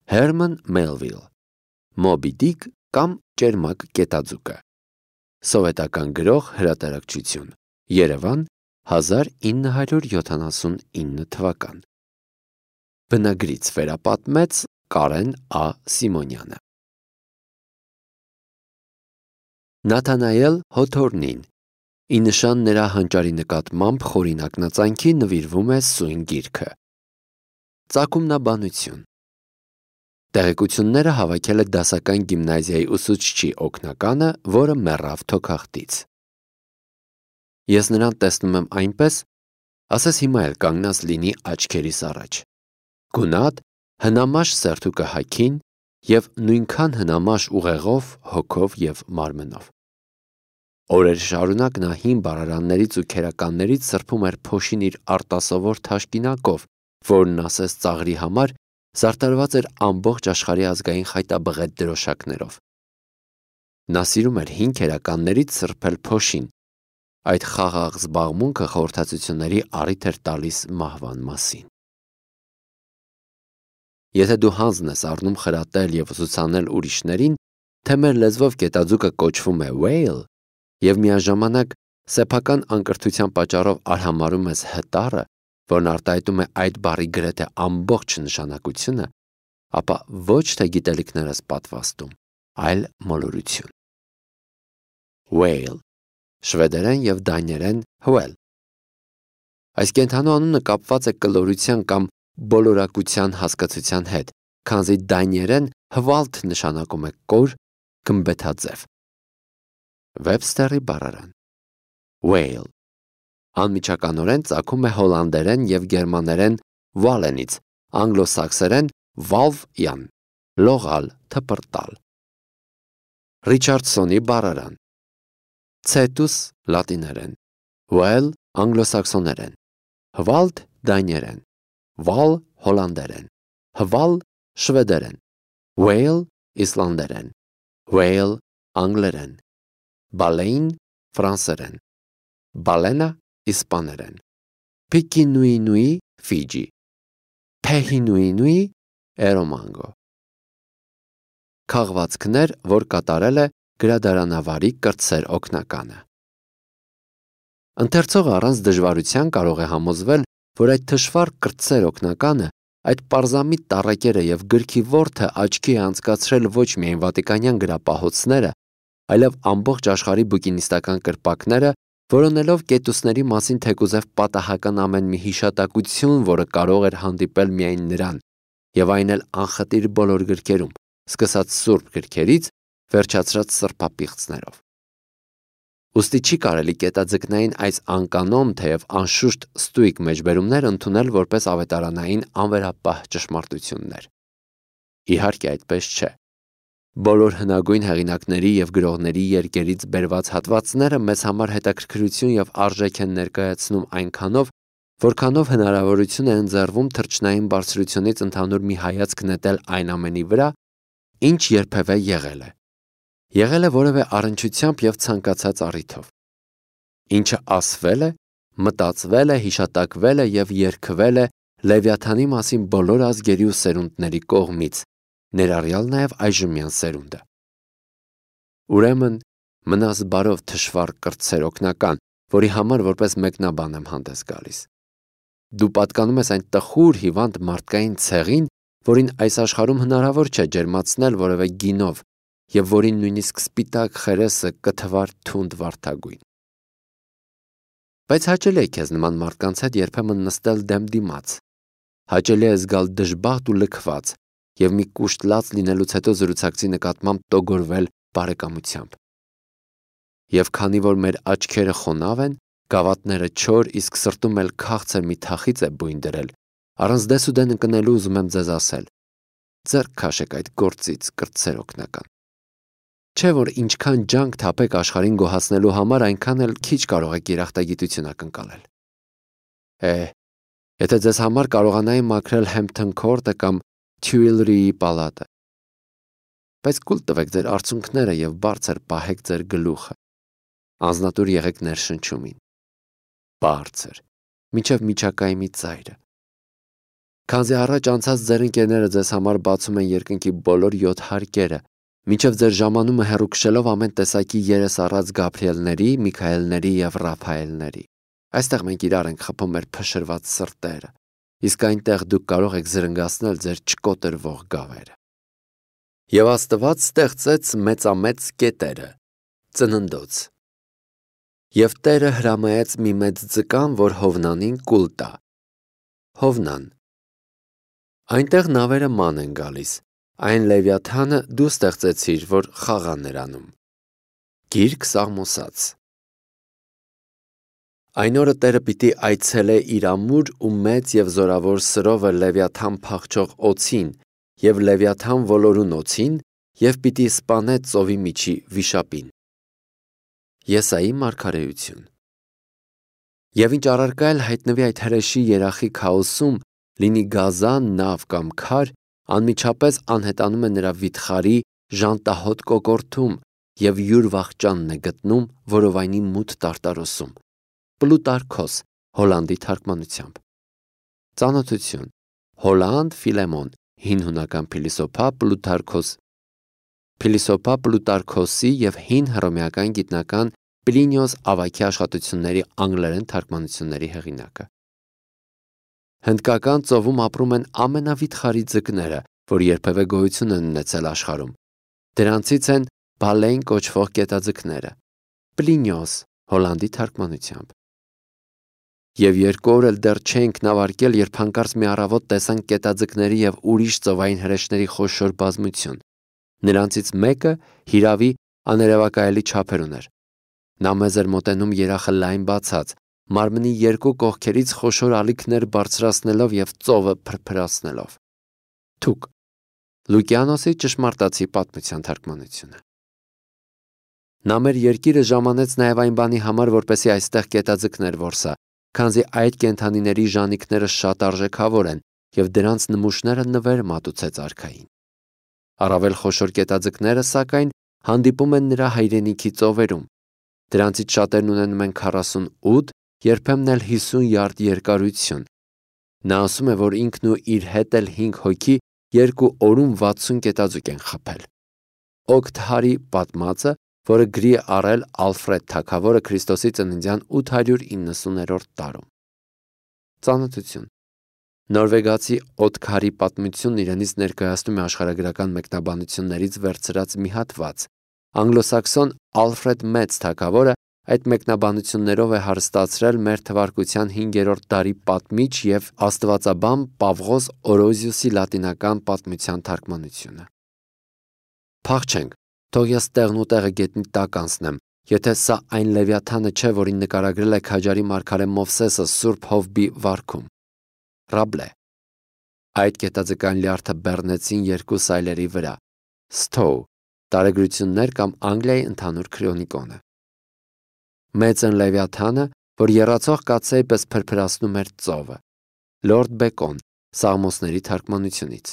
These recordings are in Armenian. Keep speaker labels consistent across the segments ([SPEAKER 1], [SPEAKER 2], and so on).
[SPEAKER 1] Herman Melville, Moby Dick կամ Ճերմակ կետաձուկը, սովետական գրող, հրատարակչություն, Երևան, 1979 թվական, բնագրից վերապատմեց Կարեն Ա. Սիմոնյանը։ Նաթանայել Հոթորնին, ի նշան նրա հանճարի նկատմամբ խորին ակնածանքի նվիրվում է սույն գիրքը։ Ծագումնաբանություն։ Տեղեկությունները հավաքել է դասական գիմնազիայի ուսուցչի օգնականը, որը մեռավ թոքախտից։ Ես նրան տեսնում եմ այնպես, ասես հիմա էլ կանգնած լինի աչքերիս առաջ։ Գունատ, հնամաշ սերթուկը հագին և նույնքան հնամաշ ուղեղով, հոգով և մարմնով։ Օրեր շարունակ նա հին բառարաններից ու քերականներից սրբում էր փոշին իր արտասովոր թաշկինակով, որն ասես ծաղրի համար զարդարված էր ամբողջ աշխարհի ազգային խայտաբղետ դրոշակներով։ Նա սիրում էր հին քերականներից սրբել փոշին, այդ խաղաղ զբաղմունքը խորհրդածությունների առիթ էր տալիս մահվան մասին։ Եթե դու հանձն ես առնում խրատել և ուսուցանել ուրիշներին, թե մեր լեզվով կետաձուկը կոչվում է whale, և միաժամանակ սեփական անկրթության պատճառով արհամարհում ես հտառը, որն արտահայտում է այդ բառի գրեթե ամբողջ նշանակությունը, ապա ոչ թե գիտելիքներ ես պատվաստում, այլ մոլորություն։ Whale, շվեդերեն և դանիերեն whale։ Այս կենդանու անունը կապված է կլորության կամ բոլորակության հասկացության հետ, քանզի դանիերեն հվալթ նշանակում է կոր, գմբեթաձև։ Վեբստերի բառարան։ Whale անմիջականորեն ծագում է հոլանդերեն և գերմաներեն վալենից, անգլոսաքսերեն valve-յան, լողալ, թպրտալ։ Ռիչարդսոնի բառարան։ Cetus լատիներեն, whale անգլոսաքսոներեն, հվալթ դանիերեն, val հոլանդերեն, հվալ շվեդերեն, whale իսլանդերեն, whale անգլերեն, baleine ֆրանսերեն, balena իսպաներեն, Pichinui Ֆիջի, Pehinoui Էրոմանգո։ Քաղվածքներ, որ կատարել է գրադարանավարի կրտսեր օգնականը։ Ընթերցողը առանց դժվարության կարող է համոզվել, որ այդ թշվառ կրտսեր օգնականը, այդ պարզամիտ տառակերը և գրքի որդը աչքի է անցկացրել ոչ միայն վատիկանյան գրապահոցները, այլև ամբողջ աշխարհի բուկինիստական կրպակները, որոնելով կետուսների մասին թեկուզև պատահական ամեն մի հիշատակություն, որը կարող էր հանդիպել միայն նրան, և այն էլ անխտիր բոլոր գրքերում, սկսած սուրբ գրքերից, վերջացրած սրբապիղծներով։ Ուստի չի կարելի կետաձկնային այս անկանոն, թեև անշուշտ ստույգ մեջբերումներ ընդունել որպես ավետարանային անվերապահ ճշմարտություններ։ Իհարկե այդպես չէ։ Բոլոր հնագույն հեղինակների և գրողների երկերից բերված հատվածները մեզ համար հետաքրքրություն և արժեք են ներկայացնում այնքանով, որքանով հնարավորություն է ընձեռվում թռչնային բարձրությունից ընդհանուր մի հայացք նետել այն ամենի վրա, ինչ երբևէ եղել է։ Եղել է որևէ առնչությամբ և ցանկացած առիթով։ Ինչը ասվել է, մտածվել է, հիշատակվել է և երգվել է Լևիաթանի մասին բոլոր ազգերի ու սերունդների կողմից, ներառյալ նաև այժմյան սերունդը։ Ուրեմն, մնաս բարով թշվառ կրտսեր օգնական, որի համար որպես մեկնաբան եմ հանդես գալիս։ Դու պատկանում ես այն տխուր հիվանդ մարդկային ցեղին, որին այս աշխարհում հնարավոր չէ ջերմացնել որևէ գինով և որին նույնիսկ սպիտակ խերեսը կթվար թունդ վարդագույն։ Բայց հաճելի է քեզ նման մարդկանց հետ երբեմն նստել դեմ դիմաց։ Հաճելի է զգալ դժբախտ ու լքված և մի կուշտ լաց լինելուց հետո զրուցակցի նկատմամբ տոգորվել բարեկամությամբ։ Եվ քանի որ մեր աչքերը խոնավ են, գավաթները չոր, իսկ սրտում էլ քաղցր մի թախիծ է բույն դրել, առանց դեսուդեն ընկնելու ուզում եմ ձեզ ասել. ձեռք քաշեք այդ գործից, կրտսեր օգնական։ Չէ՞ որ ինչքան ջանք թափեք աշխարհին գոհացնելու համար, այնքան էլ քիչ կարող եք երախտագիտություն ակնկալել։ Եթե ձեզ համար կարողանայի մաքրել Hampton Court-ը կամ Tuileries պալատը։ Բայց կուլ տվեք ձեր արցունքները և բարձր պահեք ձեր գլուխը։ Անձնատուր եղեք ներշնչումին։ Բարձր, մինչև միջակայքի ծայրը։ Քանզի առաջ անցած ձեր ընկերները ձեզ համար բացում են երկնքի բոլոր 7 հարկերը, մինչև ձեր ժամանումը հեռու քշելով ամեն տեսակի երես առած Գաբրիելների, Միքայելների եւ Ռաֆայելների։ Այստեղ մենք իրար ենք խփում մեր փշրված սրտերը, իսկ այնտեղ դուք կարող եք զրնգացնել ձեր չկոտրվող գավերը։ Եվ Աստված ստեղծեց մեծամեծ կետերը, ծննդոց։ Եվ Տերը հրամայեց մի մեծ ձկան, որ Հովնանին կուլ տա։ Հովնան։ Այնտեղ նավերը ման են գալիս, այն Լևիաթանը դու ստեղծեցիր, որ խաղա նրանում։ Գիրք Սաղմոսաց։ Այն օրը Տերը պիտի այցելե իր ամուր ու մեծ եւ զորավոր սրովը Լևիաթան փախչող օձին եւ Լևիաթան ոլորուն օձին եւ պիտի սպանե ծովի միջի վիշապին։ Եսայի մարգարեություն։ Եվ ինչ առարկա էլ հայտնվի այդ հրեշի երախի քաոսում, լինի գազան, նավ կամ քար, անմիջապես անհետանում է նրա վիթխարի ժանտահոտ կոկորթում եւ յուր վախճանն է գտնում որովայնի մութ տարտարոսում։ Պլուտարքոս, Հոլանդի թարգմանությամբ։ Ծանոթություն։ Հոլանդ Ֆիլեմոն, հին հունական փիլիսոփա Պլուտարքոսի եւ հին հռոմեական գիտնական Պլինիոս Ավագի աշխատությունների անգլերեն թարգմանությունների հեղինակը։ Հնդկական ծովում ապրում են ամենավիթխարի ձկները, որ երբևէ գոյություն են ունեցել աշխարհում։ Դրանցից են բալեն կոչվող կետաձկները։ Պլինիոս, Հոլանդի թարգմանությամբ։ Եվ 2 օր էլ դեռ չենք նավարկել, երբ հանկարծ մի առավոտ տեսանք կետաձկների եւ ուրիշ ծովային հրեշների խոշոր բազմություն։ Նրանցից մեկը հիրավի աներևակայելի չափեր ուներ։ Նա մեզ էր մոտենում երախը լայն բացած, մարմնի 2 կողքերից խոշոր ալիքներ բարձրացնելով եւ ծովը փրփրացնելով։ Թուկ։ Լուկիանոսի ճշմարտացի պատմության թարգմանությունը։ Նա մեր երկիրը ժամանեց նաեւ այն բանի համար, որպեսզի այստեղ կետաձկներ որսա, քանզի այդ կենդանիների ժանիքները շատ արժեքավոր են եւ դրանց նմուշները նվեր մատուցեց արքային։ Առավել խոշոր կետաձկները, սակայն, հանդիպում են նրա հայրենիքի ծովերում։ Դրանցից շատերն ունենում են 48, երբեմն էլ 50 յարդ երկարություն։ Նա ասում է, որ ինքն ու իր հետ էլ 5 հոգի 2 օրում 60 կետաձուկ են խփել։ Օգտհարի պատմածը, որը գրի է առել Ալֆրեդ թագավորը Քրիստոսի ծննդյան 890-րդ տարում։ Ծանոթություն։ Նորվեգացի Օտքարի պատմությունն իրենից ներկայացնում է աշխարհագրական մեկնաբանություններից վերցրած մի հատված։ Անգլոսաքսոն Ալֆրեդ Մեծ թագավորը այդ մեկնաբանություններով է հարստացրել մեր թվարկության 5-րդ դարի պատմիչ եւ աստվածաբան Պավղոս Օրոզիուսի լատինական պատմության թարգմանությունը։ Փախչենք, թող ես տեղն ու տեղը գետնի տակ անցնեմ, եթե սա այն Լևիաթանը չէ, որին նկարագրել է քաջարի մարգարե Մովսեսը Սուրբ Հովբի վարքում։ Ռաբլե։ Այդ կետաձկան լյարդը բեռնեցին 2 սայլերի վրա։ Stow, տարեգրություններ կամ Անգլիայի ընդհանուր քրոնիկոնը։ Մեծն Լևիաթանը, որ եռացող կաթսայի պես փրփրացնում էր ծովը։ Լորդ Բեկոն, Սաղմոսների թարգմանությունից։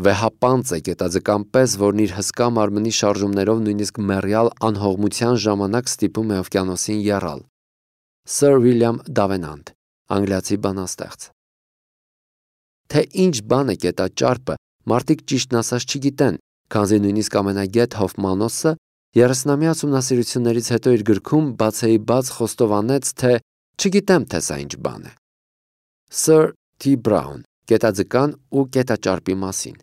[SPEAKER 1] Վեհապանծ է կետաձկան պես, որն իր հսկա մարմնի շարժումներով նույնիսկ մեռյալ անհողմության ժամանակ ստիպում է օվկիանոսին եռալ։ Սir William Davenant, անգլիացի բանաստեղծ։ Թե ինչ բան է կետաճարպը, մարդիկ ճիշտն ասած չգիտեն, քանզի նույնիսկ ամենագետ Հոֆմանոսը 30-ամյա ուսումնասիրություններից հետո իր գրքում բացեի բաց խոստովանեց, թե չգիտեմ, թե սա ինչ բան է։ Sir T. Brown, կետաձկան ու կետաճարպի մասին։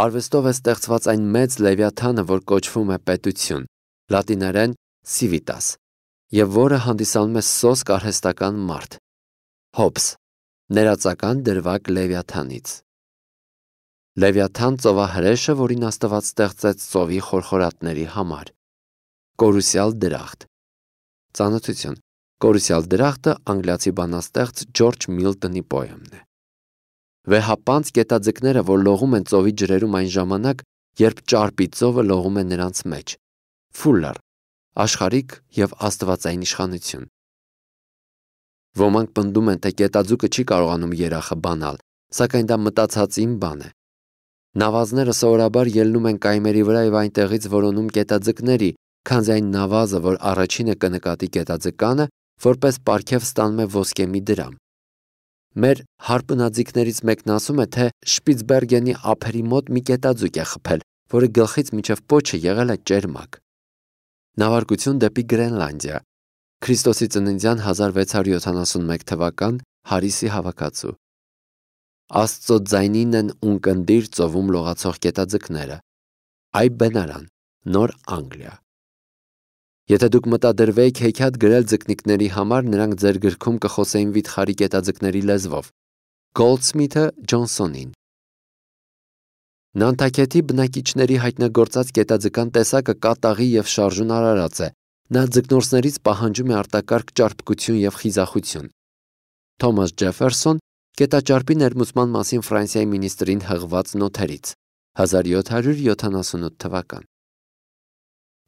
[SPEAKER 1] Արվեստով է ստեղծված այն մեծ Լևիաթանը, որ կոչվում է պետություն, լատիներեն civitas, եւ որը հանդիսանում է սոսկ արհեստական մարդ։ Հոբս, ներածական դրվագ Լևիաթանից։ Լևիաթան ծովահրեշը, որին Աստված ստեղծեց ծովի խորխորատների համար։ Կորուսյալ դրախտ։ Ծանոթություն։ Կորուսյալ դրախտը անգլիացի բանաստեղծ Ջորջ Միլտոնի պոեմն է։ Վեհապանծ կետաձկները, որ լողում են ծովի ջրերում այն ժամանակ, երբ ճարպի ծովը լողում է նրանց մեջ։ Ֆուլլեր, աշխարհիկ եւ աստվածային իշխանություն։ Ոմանք պնդում են, թե կետաձուկը չի կարողանում երախը բանալ, սակայն դա մտածածին բան է։ Նավազները սովորաբար ելնում են կայմերի վրա եւ այնտեղից որոնում կետաձկների, քանզի այն նավազը, որ առաջինը կնկատի կետաձկանը, որպես պարգև ստանում է ոսկե մի դրամ։ Մեր հարբնաձիգներից մեկն ասում է, թե Շպիցբերգենի ափերի մոտ մի կետաձուկ է խփել, որը գլխից մինչև պոչը եղել է ճերմակ։ Նավարկություն դեպի Գրենլանդիա։ Քրիստոսի ծննդյան 1671 թվական հարիսի հավաքածու։ Աստծո ձայնին են ունկնդիր ծովում լողացող կետաձկները։ Այ բենարան, Նոր Անգլիա։ Եթե դուք մտադրվեիք հեքիաթ գրել ձկնիկների համար, նրանք ձեր գրքում կխոսեին վիթխարի կետաձկների լեզվով։ Գոլդսմիթը Ջոնսոնին։ Նանտաքեթի բնակիչների հայտնագործած կետաձկան տեսակը կատաղի և շարժուն արարած է։ Նա ձկնորսներից պահանջում է արտակարգ ճարպկություն և խիզախություն։ Թոմաս Ջեֆերսոն կետաճարպի ներմուծման մասին Ֆրանսիայի մինիստրին հղված նոթերից 1778 թվական։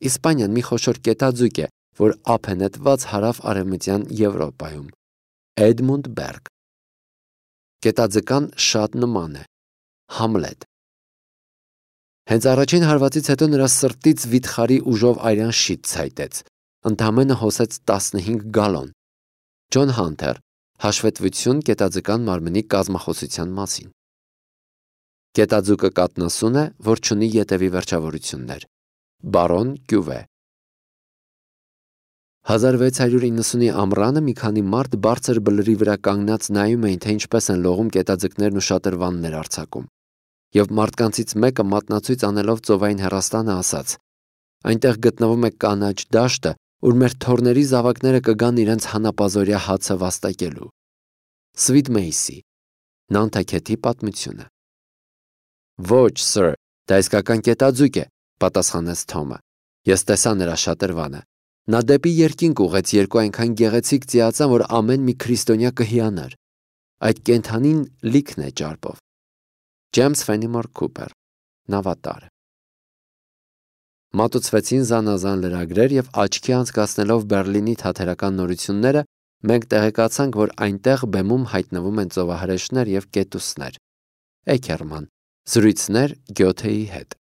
[SPEAKER 1] Իսպանիան մի խոշոր կետաձուկ է, որ ափ է նետված հարավ-արևմտյան Եվրոպայում։ Էդմունդ Բերգ։ Կետաձկան շատ նման է։ Համլետ։ Հենց առաջին հարվածից հետո նրա սրտից վիթխարի ուժով արյան շիթ ցայտեց։ Ընդամենը հոսեց 15 գալոն։ Ջոն Հանթեր, հաշվետվություն կետաձկան մարմնի կազմախոսության մասին։ Կետաձուկը կատնասուն է, որ չունի ետևի վերջավորություններ։ Բարոն Կյուվե։ 1690-ի ամռանը մի քանի մարդ բարձր բլրի վրա կանգնած նայում էին, թե ինչպես են լողում կետաձկներն ու շատրվաններ արձակում։ Եվ մարդկանցից մեկը մատնացույց անելով ծովային հեռաստանը ասաց. «Այնտեղ գտնվում է կանաչ դաշտը, ուր մեր թոռների զավակները կգան իրենց հանապազօրյա հացը վաստակելու»։ Սվիթ Մեյսի, Նանտաքեթի պատմությունը։ «Ոչ, սըր, դա իսկական կետաձուկ է», պատասխանեց Թոմը։ «Ես տեսա նրա շատրվանը։ Նա դեպի երկինք ուղեց երկու այնքան գեղեցիկ ծիածան, որ ամեն մի քրիստոնյա կհիանար։ Այդ կենդանին լիքն է ճարպով»։ Ջեյմս Ֆենիմոր Քուպեր, Նավատար։ Մատուցվեցին զանազան լրագրեր և աչքի անցկացնելով Բերլինի թատերական նորությունները, մենք տեղեկացանք, որ այնտեղ բեմում հայտնվում են ծովահրեշներ և կետուսներ։ Էքերման, զրույցներ Գյոթեի հետ։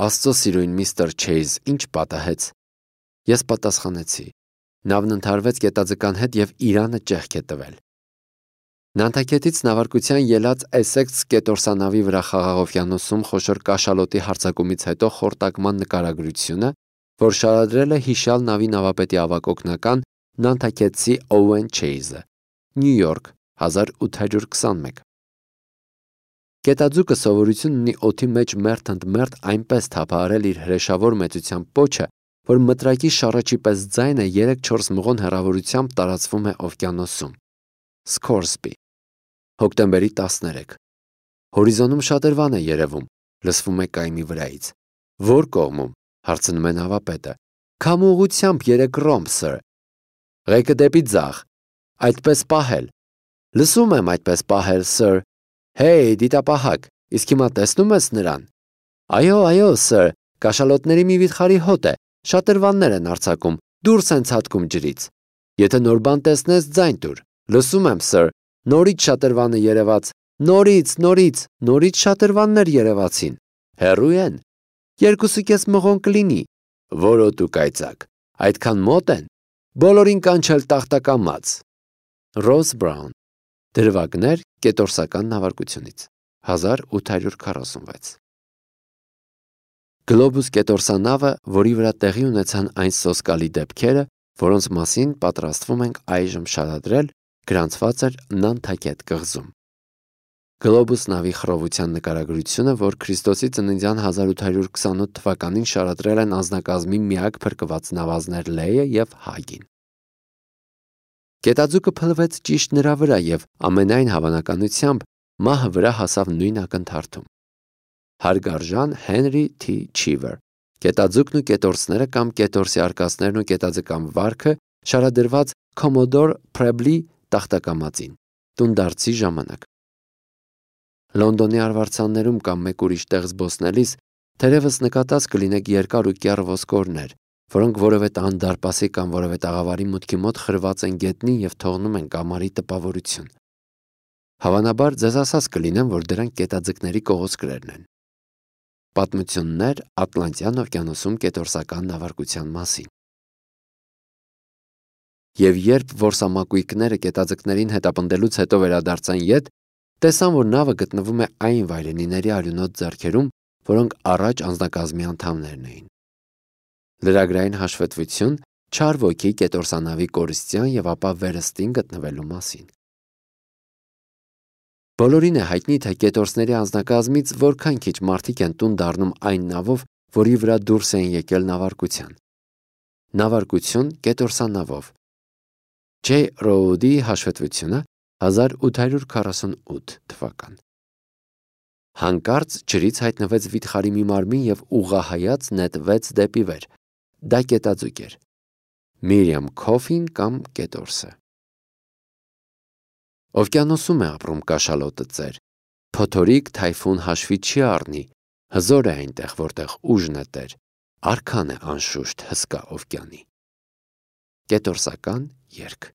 [SPEAKER 1] Աստծո սիրուն միստր Չեյզ, ինչ պատահեց։ Ես պատասխանեցի. նավն ընդհարվեց կետաձկան հետ և Իրանը ճեղք է տվել։ Նանտաքետից նավարկության ելած Էսեքս կետորսանավի վրա Խաղաղ օվկիանոսում խոշոր կաշալոտի հարձակումից հետո խորտակման նկարագրությունը, որ շարադրել է հիշյալ նավի նավապետի ավագ օգնական նանտաքետցի Օուեն Չեյզը, Նյու Յորք, 1821։ Կետաձուկը սովորություն ունի օդի մեջ մերթ ընդ մերթ այնպես թափահարել իր հրեշավոր մեծության պոչը, որ մտրակի շառաչի պես ձայնը 3-4 մղոն հեռավորությամբ տարածվում է օվկիանոսում։ Սկորսբի, հոկտեմբերի 13։ Հորիզոնում շատրվան է երևում, լսվում է կայմի վրայից։ Ո՞ր կողմում, հարցնում է նավապետը։ Քամու ուղղությամբ 3 ռոմբ, սըր։ Ղեկը դեպի ձախ։ Այդպես պահել։ Լսում եմ այդպես պահել, սըր։ Հեյ, դիտապահակ, իսկ հիմա տեսնում ես նրան։ Այո, սըր, կաշալոտների մի վիթխարի հոտ է, շատրվաններ են արձակում, դուրս են ցատկում ջրից։ Եթե նոր բան տեսնես, ձայն տուր։ Լսում եմ, սըր, նորից շատրվանը երևաց, նորից շատրվաններ երևացին։ Հեռու են։ 2.5 մղոն կլինի։ Որոտու կայծակ, այդքան մոտ են։ Բոլորին կանչել տախտակամած։ Ռոզ Բրաուն, դրվագներ կետորսական նավարկությունից 1846։ Գլոբուս կետորսանավը, որի վրա տեղի ունեցան այն սոսկալի դեպքերը, որոնց մասին պատրաստվում ենք այժմ շարադրել, գրանցված էր Նանտաքեթ կղզում։ Գլոբուս նավի խռովության նկարագրությունը, որ Քրիստոսի ծննդյան 1828 թվականին շարադրել են անձնակազմի միակ փրկված նավազներ Լեյը և Հագին։ Կետաձուկը փլվեց ճիշտ նրա վրա և ամենայն հավանականությամբ մահը վրա հասավ նույն ակնթարթում։ Հարգարժան Հենրի Թ. Չիվեր, Կետաձուկն ու կետորսները կամ կետորսի արկածներն ու կետաձկան վարքը, շարադրված Commodore Preble տախտակամածին, տունդարձի ժամանակ։ Լոնդոնի արվարձաններում կամ մեկ ուրիշ տեղ զբոսնելիս թերևս նկատած կլինեք երկար ու կեռ ոսկորներ, որոնք որևէ տան դարպասի կամ որևէ տաղավարի մուտքի մոտ խրված են գետնին և թողնում են կամարի տպավորություն։ Հավանաբար ձեզ ասած կլինեմ, որ դրանք կետաձկների կողոսկրերն են։ Պատմություններ Ատլանտյան օվկիանոսում կետորսական նավարկության մասին։ Եվ երբ որսամակույկները կետաձկներին հետապնդելուց հետո վերադարձան ետ, տեսան, որ նավը գտնվում է այն վայրենիների արյունոտ ձեռքերում, որոնք առաջ անձնակազմի անդամներն էին։ Լրագրային հաշվետվություն չար ոգի կետորսանավի կորստյան եւ ապա վերստին գտնվելու մասին։ Բոլորին է հայտնի, թե կետորսների անձնակազմից որքան քիչ մարդիկ են տուն դառնում այն նավով, որի վրա դուրս էին եկել նավարկության։ Նավարկություն կետորսանավով։ J. Road-ի հաշվետվությունը 1848 թվական։ Հանկարծ ջրից հայտնվեց վիթխարի մի մարմին եւ ուղղահայաց նետվեց դեպի վեր։ Դա կետաձուկ էր։ Միրիամ Քոֆին կամ կետորսը։ Օվկիանոսում է ապրում կաշալոտը ծեր։ Փոթորիկ թայֆուն հաշվի չի առնի։ Հզոր է այնտեղ, որտեղ ուժն է տեր։ Արքան է անշուշտ հսկա օվկիանի։ Կետորսական երգ։